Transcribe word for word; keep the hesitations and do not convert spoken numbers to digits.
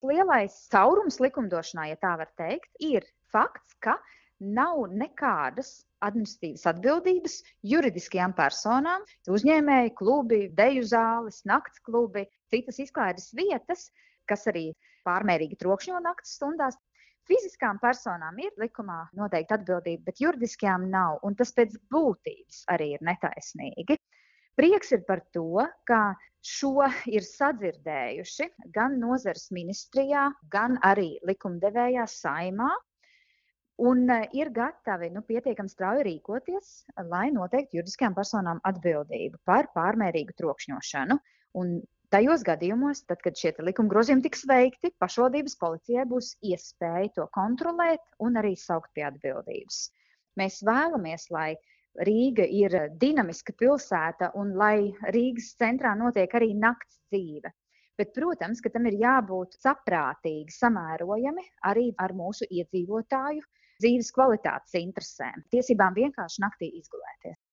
Lielais caurums likumdošanā, ja tā var teikt, ir fakts, ka nav nekādas administratīvas atbildības juridiskajām personām, uzņēmēji klubi, deju zāles, nakts klubi, citas izklaides vietas, kas arī pārmērīgi trokšņo naktas stundās. Fiziskām personām ir likumā noteikta atbildība, bet juridiskajām nav, un tas pēc būtības arī ir netaisnīgi. Prieks ir par to, ka šo ir sadzirdējuši gan nozares ministrijā, gan arī likumdevējā Saeimā, un ir gatavi nu, pietiekami strauji rīkoties, lai noteiktu juridiskajām personām atbildību par pārmērīgu trokšņošanu. Un tajos gadījumos, tad, kad šie likuma grozījumi tiks veikti, pašvaldības policijai būs iespēja to kontrolēt un arī saukt pie atbildības. Mēs vēlamies, lai Rīga ir dinamiska pilsēta un lai Rīgas centrā notiek arī nakts dzīve. Bet, protams, ka tam ir jābūt saprātīgi samērojami arī ar mūsu iedzīvotāju dzīves kvalitātes interesēm, tiesībām vienkārši naktī izgulēties.